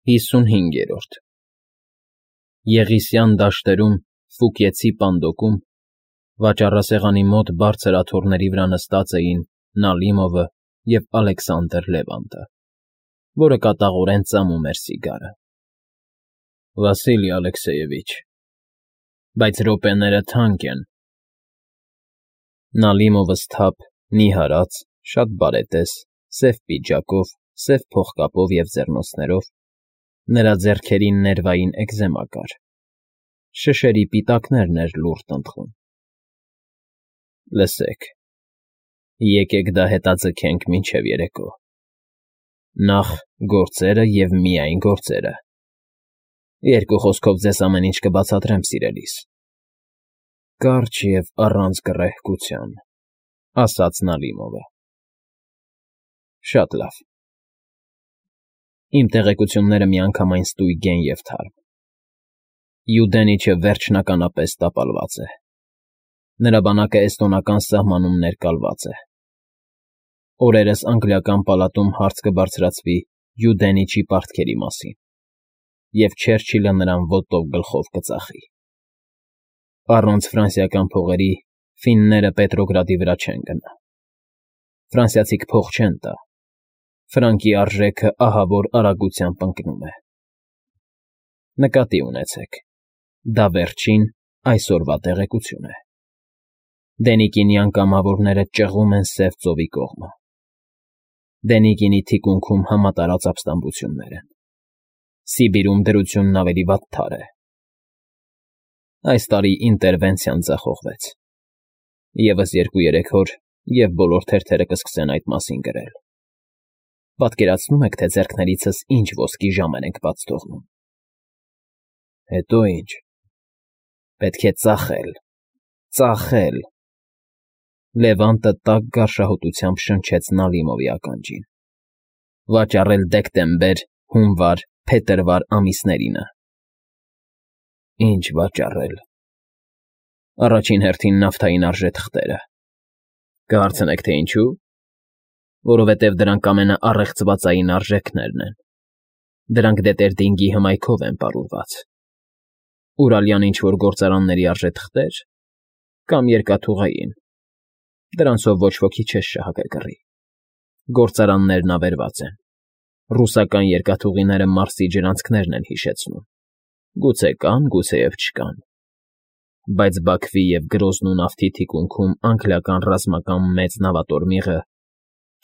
55 Եղիսյան դաշտերում, Ֆուկեցի պանդոկում, վաճառասեղանի մոտ բարձր աթոռների վրա նստած էին Նալիմովը և Ալեքսանդր Լևանտը, որը կատաղորեն ծամում էր սիգարը։ Վասիլի Ալեքսեևիչ, բայց րոպեները թանկ են։ Նալիմովը սթափ, նիհարած, շատ բարետես, սև պիջակով, սև փողկապով և ձեռնոցներով, նրա ձեռքերին ներվային էկզեմա կար, շշերի պիտակներն էր լուռ տնտղում։ Լսեք, եկեք դա հետաձգենք մինչև երեկո։ Նախ գործերը և միայն գործերը։ Երկու խոսքով ձեզ ամեն ինչ կբացատրեմ, սիրելիս։ Կարճ և առանց գռեհկության, ասաց Նալիմովը։ Շատ լավ։ Իմ տեղեկությունները միանգամայն ստույգ են և թարմ։ Յուդենիչը վերջնականապես տապալված է։ Նրա բանակը էստոնական սահմանում ներկալված է։ Օրերս անգլիական պալատում հարց կբարձրացվի Յուդենիչի պարտքերի մասին, և Չերչիլը նրան ոտով գլխով կծախի։ Առանց ֆրանսիական փողերի ֆինները Պետրոգրադի վրա չեն գնա։ Ֆրանսիացիք փող չեն տա։ Ֆրանկի արժեքը ահավոր արագությամբ ընկնում է։ Նկատի ունեցեք, դա վերջին, այսօրվա տեղեկություն է։ Դենիկինյան կամավորները ճղում են Սև ծովի կողմը։ Դենիկինի թիկունքում համատարած ապստամբություններ են։ Սիբիրում դրությունն ավելի վատթար է։ Այս տարի ինտերվենցիան ձախողվեց։ Եվս 2-3 օր, և բոլոր թերթերը կսկսեն այդ մասին գրել։ Պատկերացնո՞ւմ եք, թե ձեռքներիցս ինչ ոսկի ժամեր ենք բաց թողնում։ Հետո ինչ։ Պետք է ծախել, ծախել։ Լևանտը տաք գարշահոտությամբ շնչեց Նալիմովի ականջին։ Վաճառել դեկտեմբեր, հունվար, փետրվար ամիսներինը։ Ինչ վաճառել։ Առաջին հերթին նավթային արժեթղթերը։ Կհարցնեք, թե ինչու։ Որովհետև դրանք ամենաառեղծվածային արժեքներն են։ Դրանք Դետերդինգի հմայքով են պարուրված։ Ուրալյան ինչ֊որ գործարանների արժեթղթեր կամ երկաթուղային։ Դրանցով ոչ ոքի չես շահագրգռի։ Գործարաններն ավերված են։ Ռուսական երկաթուղիները Մարսի ջրանցքներն են հիշեցնում։ Գուցե կան, գուցեև չկան։ Բայց Բաքվի և Գրոզնու նավթի թիկունքում անգլիական ռազմական մեծ նավատորմիղը,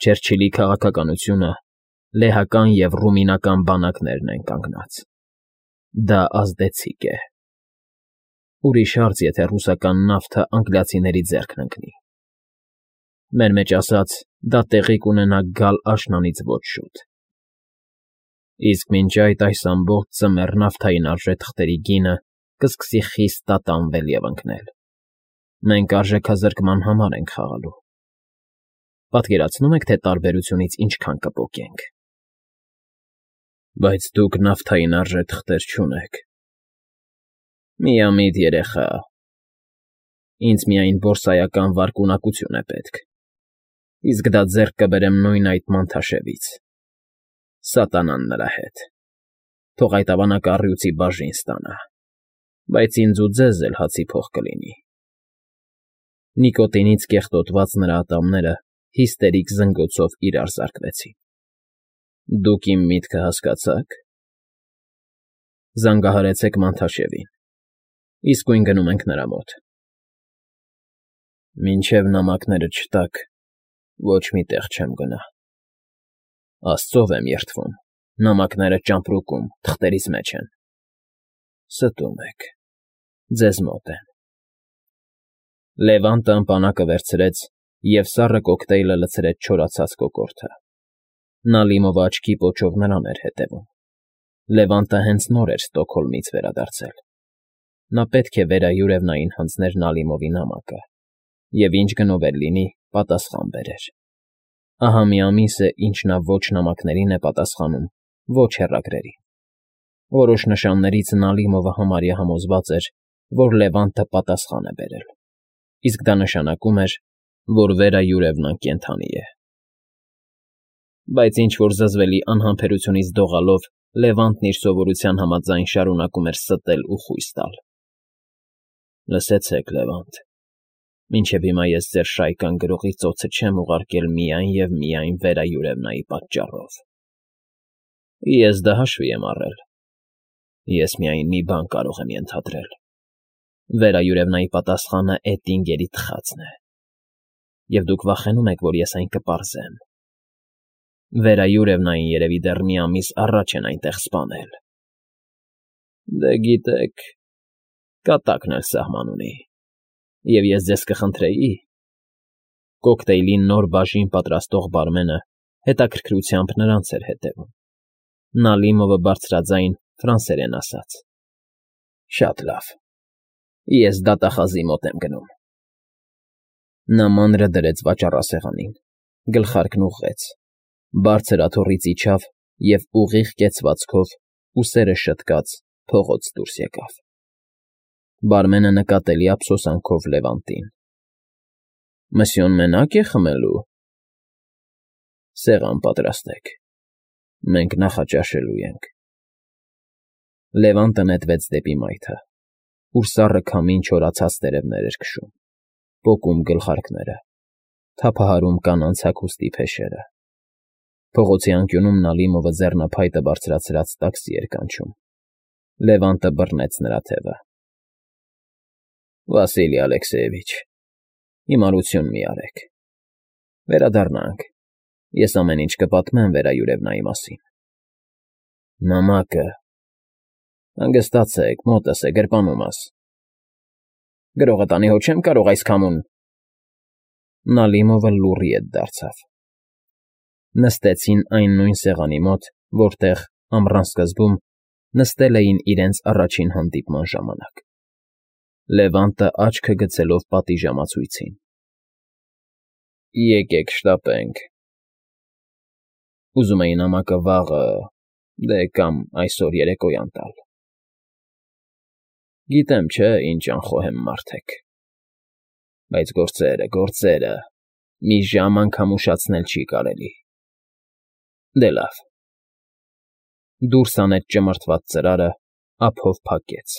Չերչիլի քաղաքականությունը, լեհական և ռումինական բանակներն են կանգնած։ Դա ազդեցիկ է։ Ուրիշ հարց, եթե ռուսական նավթը անգլիացիների ձեռքն ընկնի։ Մեր մեջ ասած, դա տեղի կունենա գալ աշնանից ոչ շուտ։ Իսկ մինչ այս ամբողջ ծմեռ նավթային արժեթղթերի գինը կսկսի խիստ տատանվել և ընկնել։ Մենք արժեքազրկման համար ենք խաղալու։ Պատկերացնո՞ւմ եք, թե տարբերությունից ինչքան կպոկենք։ Բայց դուք նավթային արժեթղթեր չունեք։ Միամիտ երեխա։ Ինձ միայն բորսայական վարկունակություն է պետք։ Իսկ դա ձեռք կբերեմ նույն այդ մանթաշևից։ Սատանան նրա հետ։ Թող այդ ավանակը առյուծի բաժին ստանա։ Բայց ինձ ու ձեզ էլ հացի փող կլինի։ Նիկոտինից կեղտոտված նրա ատամները հիստերիկ զնգոցով իրար զարկվեցին։ Դուք իմ միտքը հասկացա՞ք։ Զանգահարեցեք Մանթաշևին։ Իսկույն գնում ենք նրա մոտ։ Մինչև նամակները չտաք, ոչ մի տեղ չեմ գնա։ Աստծով եմ երդվում, նամակները ճամպրուկում, թղթերիս մեջ են։ Ստում եք, ձեզ մոտ են։ Լևանտը ըմպանակը վերցրեց և սառը կոկտեյլը լցրեց չորացած կոկորդը։ Նալիմովը աչքի պոչով նրան էր հետևում։ Լևանտը հենց նոր էր Ստոկհոլմից վերադարձել։ Նա պետք է վերայուրևնային հանձներ Նալիմովի նամակը և ինչ գնով էլ լինի, պատասխան բերեր։ Ահա մի ամիս է, ինչ նա ոչ նամակներին է պատասխանում, ոչ հեռագրերի։ Որոշ նշաններից Նալիմովը համարյա համոզված էր, որ Լևանտը պատասխան է բերել, իսկ դա նշանակում էր, որ վերայուրևնան կենդանի է։ Բայց ինչ֊որ զզվելի անհամբերությունից դողալով Լևանտն իր սովորության համաձայն շարունակում էր ստել ու խույս տալ։ Լսեցեք, Լևանտ, մինչև հիմա ես ձեր շայկան գրողի ծոցը չեմ ուղարկել միայն և միայն վերայուրևնայի պատճառով։ Ես դա հաշվի եմ առել։ Ես միայն մի բան կարող եմ ենթադրել. վերայուրևնայի պատասխանը Էտինգերի թխածն է, և դուք վախենում եք, որ ես այն կպարզեմ։ Վերայուրևնային երևի դեռ մի ամիս առաջ են այնտեղ սպանել։ Դե գիտեք, կատակն էլ սահման ունի, և ես ձեզ կխնդրեի… Կոկտեյլի նոր բաժին պատրաստող բարմենը հետաքրքրությամբ նրանց էր հետևում։ Նալիմովը բարձրաձայն ֆրանսերեն ասաց. Շատ լավ, ես դատախազի մոտ եմ գնում։ Նա մանրը դրեց վաճառասեղանին, գլխարկն ուղղեց, բարձր աթոռից իջավ և ուղիղ կեցվածքով, ուսերը շտկած, փողոց դուրս եկավ։ Բարմենը նկատելի ափսոսանքով Լևանտին. Մսյոն մենակ է խմելու։ Սեղան պատրաստեք, մենք նախաճաշելու ենք։ Լևանտը նետվեց դեպի մայթը, ուր սառը քամին չորացած տերևներ էր քշում, պոկում գլխարկները, թափահարում կանանց հագուստի փեշերը։ Փողոցի անկյունում Նալիմովը ձեռնափայտը բարձրացրած տաքսի էր կանչում։ Լևանտը բռնեց նրա թևը։ Վասիլի Ալեքսեևիչ, հիմարություն մի արեք։ Վերադառնանք, ես ամեն ինչ կպատմեմ վերայուրևնայի մասին։ Նամակը… Հանգստացեք, մոտս է, գրպանումս։ Գրողը տանի հո չեմ կարող այս քամուն… Նալիմովը լուռի ետ դարձավ։ Նստեցին այն նույն սեղանի մոտ, որտեղ, ամռան սկզբում, նստել էին իրենց առաջին հանդիպման ժամանակ։ Լևանտը աչքը գցելով պատիժամացույցին։ Եկեք շտապենք։ Ուզում էի նամակը վաղը, դե կամ այսօր երեկոյան տալ։ Գիտեմ, չէ, ինչ անխոհեմ մարդ եք։ Բայց գործերը, մի ժամ անգամ ուշացնել չի կարելի։ Դե լավ։ Դուրս հանեց ճմրթված ծրարը, ափով փակեց։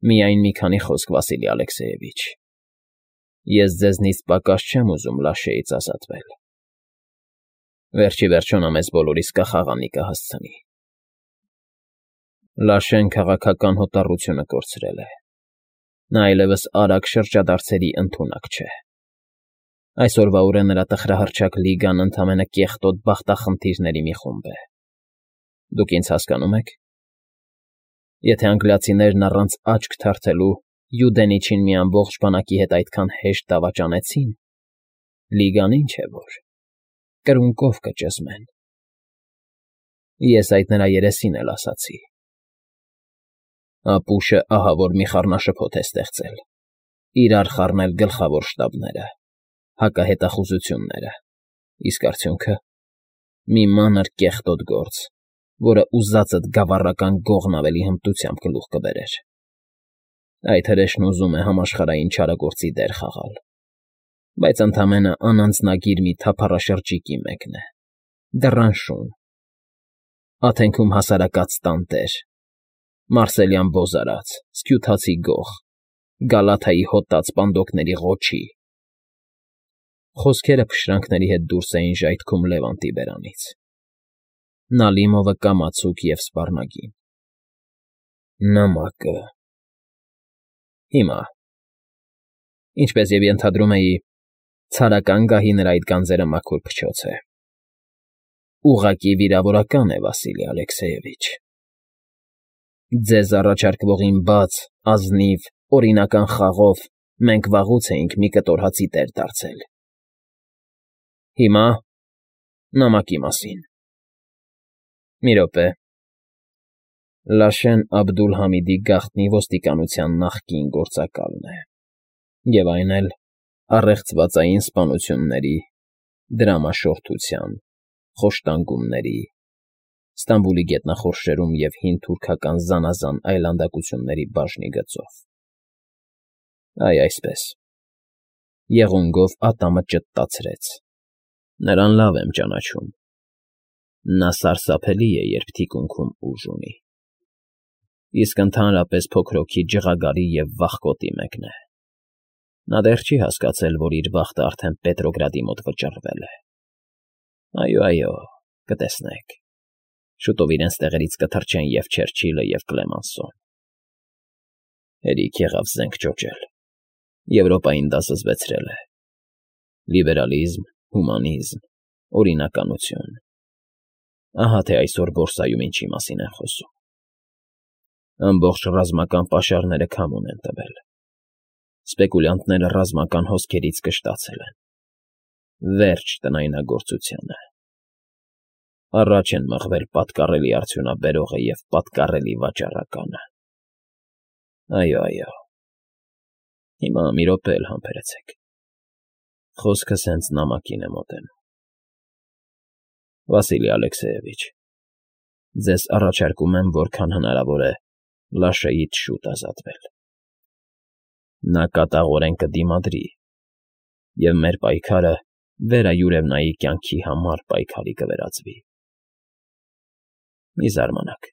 Միայն մի քանի խոսք, Վասիլի Ալեքսեևիչ։ Ես ձեզնից պակաս չեմ ուզում Լաշեից ազատվել։ Վերջ ի վերջո նա մեզ բոլորիս կախաղանի կհասցնի։ Լաշեն քաղաքական հոտառությունը կորցրել է։ Նա այլևս արագ շրջադարձերի ընդունակ չէ։ Այսօրվա օրը նրա տխրահռչակ լիգան ընդամենը կեղտոտ բախտախնդիրների մի խումբ է։ Դուք ինձ հասկանո՞ւմ եք։ Եթե անգլիացիներն առանց աչք թարթելու Յուդենիչին մի ամբողջ բանակի հետ այդքան հեշտ դավաճանեցին, լիգան ինչ է որ, կրունկով կճզմեն։ Ես այդ նրա երեսին էլ ասացի։ Ապուշը ահա որ մի խառնաշփոթ է ստեղծել, իրար խառնել գլխավոր շտաբները, հակահետախուզությունները, իսկ արդյունքը… մի մանր կեղտոտ գործ, որը ուզածդ գավառական գողն ավելի հմտությամբ գլուխ կբերեր։ Այդ հրեշն ուզում է համաշխարհային չարագործի դեր խաղալ, բայց ընդամենը անանձնագիր մի թափառաշրջիկի մեկն է, դռան շուն, Աթենքում հասարակած տանտեր, Մարսելյան բոզարած, սքյութացի գող, Գալաթայի հոտած պանդոկների ղոչի… Խոսքերը փշրանքների հետ դուրս էին ժայթքում Լևանտի բերանից։ Նալիմովը կամացուկ և սպառնագին։ Նամակը… Հիմա… Ինչպես և ենթադրում էի, ցարական գահի նրա այդ գանձերը մաքուր փչոց է։ Ուղղակի վիրավորական է, Վասիլի Ալեքսեևիչ։ Ձեզ առաջարկվողին բաց, ազնիվ, օրինական խաղով մենք վաղուց էինք մի կտոր հացի տեր դարձել։ Հիմա… նամակի մասին… Մի րոպե… Լաշեն Աբդուլ֊Համիդի գաղտնի ոստիկանության նախկին գործակալն է, և այն էլ առեղծվածային սպանությունների, դրամաշորթության, խոշտանգումների, Ստամբուլի գետնախորշերում և հին թուրքական զանազան այլանդակությունների բաժնի գծով։ Այ այսպես… Եղունգով ատամը ճտտացրեց։ Նրան լավ եմ ճանաչում։ Նա սարսափելի է, երբ թիկունքում ուժ ունի, իսկ ընդհանրապես փոքրոքի ջղագարի և վախկոտի մեկն է։ Նա դեռ չի հասկացել, որ իր բախտը արդեն Պետրոգրադի մոտ վճռվել է։ Այո, կտեսնեք, շուտով իրենց տեղերից կթռչեն և Չերչիլը, և Կլեմանսոն։ Հերիք եղավ զենք ճոճել, Եվրոպային դա զզվեցրել է։ Լիբերալիզմ, հումանիզմ, օրինականություն։ Ահա թե այսօր բորսայում ինչի մասին են խոսում։ Ամբողջ ռազմական պաշարները քամուն են տվել։ Սպեկուլյանտները ռազմական հոսքերից կշտացել են։ Վերջ տնայնագործությանը։ Առաջ են մղվել պատկառելի արդյունաբերողը և պատկառելի վաճառականը։ Այո, հիմա մի րոպե էլ համբերեցեք։ Խոսքս հենց նամակին է մոտենում։ Վասիլի Ալեքսեևիչ, ձեզ առաջարկում եմ, որքան հնարավոր է, Լաշեից շուտ ազատվել։ Նա կատաղորեն կդիմադրի, և մեր պայքարը Վերա Յուրևնայի կյանքի համար պայքարի կվերածվի։ Մի զարմանաք։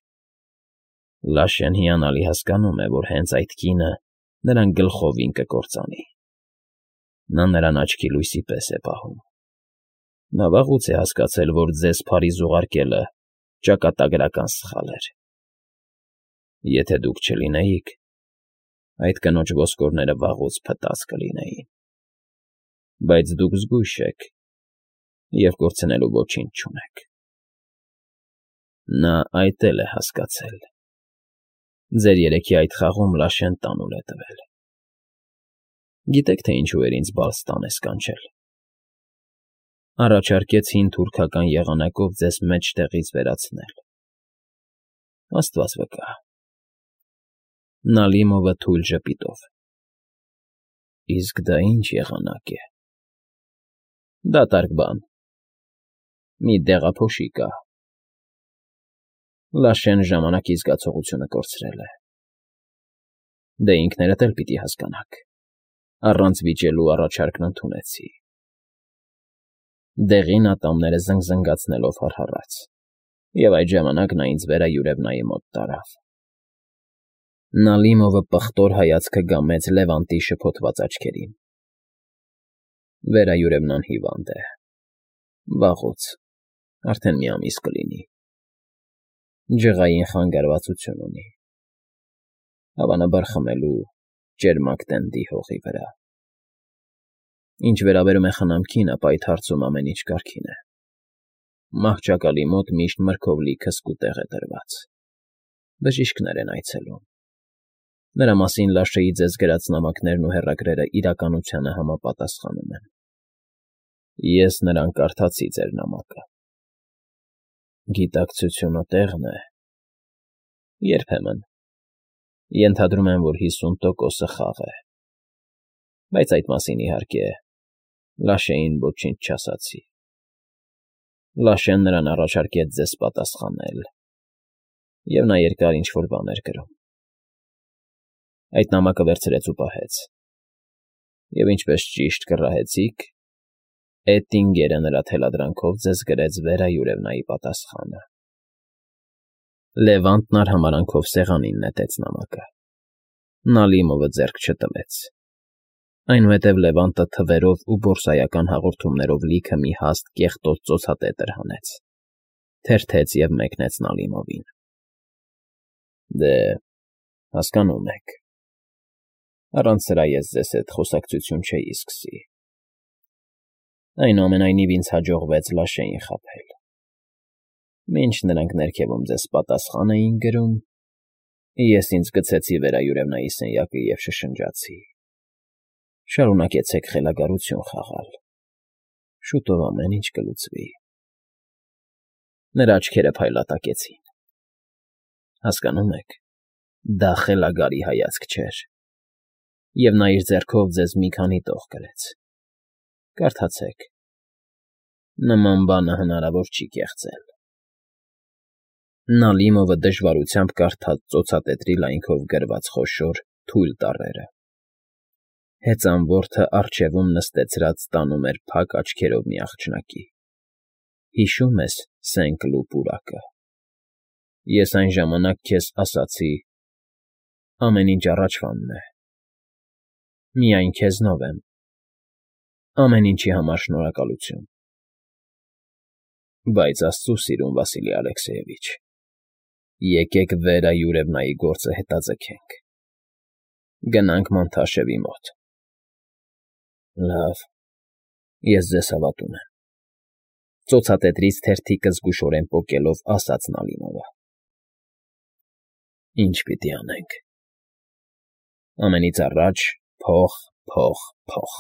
Լաշեն հիանալի հասկանում է, որ հենց այդ կինը նրան գլխովին կկործանի։ Նա նրան աչքի լույսի պես է պահում։ Նա վաղուց է հասկացել, որ ձեզ Փարիզ ուղարկելը ճակատագրական սխալ էր։ Եթե դուք չլինեիք, այդ կնոջ ոսկորները վաղուց փտած կլինեին։ Բայց դուք զգույշ եք և կորցնելու ոչինչ չունեք։ Նա այդ էլ է հասկացել։ Ձեր երեքի այդ խաղում Լաշեն տանուլ է տվել։ Գիտեք, թե ինչու էր ինձ Բալստանես կանչել։ Առաջարկեց հին թուրքական եղանակով ձեզ մեջտեղից վերացնել։ Աստված վկա։ Նալիմովը թույլ ժպիտով։ Իսկ դա ինչ եղանակ է։ Դատարկ բան։ Մի դեղափոշի կա։ Լաշեն ժամանակի զգացողությունը կորցրել է։ Դե ինքներդ էլ պիտի հասկանաք։ Առանց վիճելու առաջարկն ընդունեցի։ Դեղին ատամները զնգզնգացնելով հառհառաց, և այդ ժամանակ նա ինձ Վերա Յուրևնայի մոտ տարավ։ Նալիմովը պղտոր հայացքը գամեց Լևանտի շփոթված աչքերին։ Վերա Յուրևնան հիվանդ է։ Վաղուց, արդեն մի ամիս կլինի։ Ջղային խանգարվածություն ունի։ Հավանաբար խմելու ճերմակ տենդի հողի վրա։ Ինչ վերաբերում է խնամքին, ապա այդ հարցում ամեն ինչ կարգին է։ Մահճակալի մոտ միշտ մրգով լի քսկուտեղ է դրված։ Բժիշկներ են այցելում։ Նրա մասին Լաշեի ձեզ գրած նամակներն ու հեռագրերը իրականությանը համապատասխանում են։ Ես նրան կարդացի ձեր նամակը։ Գիտակցությունը տեղն է։ Երբեմն։ Ենթադրում եմ, որ 50%-ը խաղ է։ Բայց այդ մասին, իհարկե, Լաշեին ոչինչ չասացի։ Լաշեն նրան առաջարկեց ձեզ պատասխանել, և նա երկար ինչ֊որ բան էր գրում։ Այդ նամակը վերցրեց ու պահեց։ Եվ ինչպես ճիշտ կռահեցիք, Էտինգերը նրա թելադրանքով ձեզ գրեց Վերա Յուրևնայի պատասխանը։ Լևանտն արհամարհանքով սեղանին նետեց նամակը։ Նալիմովը ձեռք չտվեց։ Այնուհետև Լևանտը թվերով ու բորսայական հաղորդումներով լիքը մի հաստ կեղտոտ ծոցատետր հանեց, թերթեց և մեկնեց Նալիմովին։ Դե, հասկանում եք, առանց սրա ես ձեզ հետ խոսակցություն չէի սկսի։ Այնուամենայնիվ ինձ հաջողվեց Լաշեին խաբել։ Մինչ նրանք ներքևում ձեզ պատասխան էին գրում, ես ինձ գցեցի Վերա Յուրևնայի սենյակը և շշնջացի. շարունակեցեք խելագարություն խաղալ։ Շուտով ամեն ինչ կլուծվի։ Նրա աչքերը փայլատակեցին։ Հասկանում եք, դա խելագարի հայացք չէր, և նա իր ձեռքով ձեզ մի քանի տող գրեց։ Կարդացեք։ Նման բանը հնարավոր չի կեղծել։ Նալիմովը դժվարությամբ կարդաց ծոցատետրի լայնքով գրված խոշոր, թույլ տառերը։ Հեծան որդը առջևում նստեցրած տանում էր փակ աչքերով մի աղջնակի։ Հիշո՞ւմ ես Սենկլու պուրակը։ Ես այն ժամանակ քեզ ասացի. ամեն ինչ առաջվանն է, միայն քեզնով եմ, ամեն ինչի համար շնորհակալություն։ Բայց աստծու սիրուն Վասիլի Ալեքսեևիչ, եկեք վեր այ Յուրևնայի գործը հետաձգենք, գնանք Մանթաշևի մոտ։ Լավ, ես ձեզ հավատում եմ,֊ ծոցատետրից թերթիկը զգուշորեն պոկելով ասաց Նալինովը։ Ինչ պիտի անենք։ Ամենից առաջ փող, փող, փող։